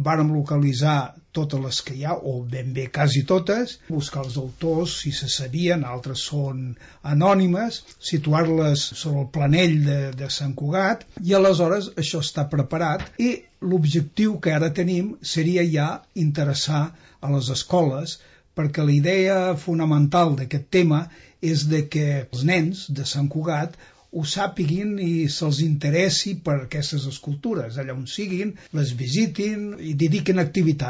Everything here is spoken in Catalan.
vàrem localitzar totes les que hi ha, o ben bé quasi totes, buscar els autors, si se sabien, altres són anònimes, situar-les sobre el planell de Sant Cugat, i aleshores això està preparat, i l'objectiu que ara tenim seria ja interessar a les escoles, perquè la idea fonamental d'aquest tema és de que els nens de Sant Cugat ho sàpiguin i se'ls interessi per aquestes escultures, allà on siguin, les visitin i dediquin activitats.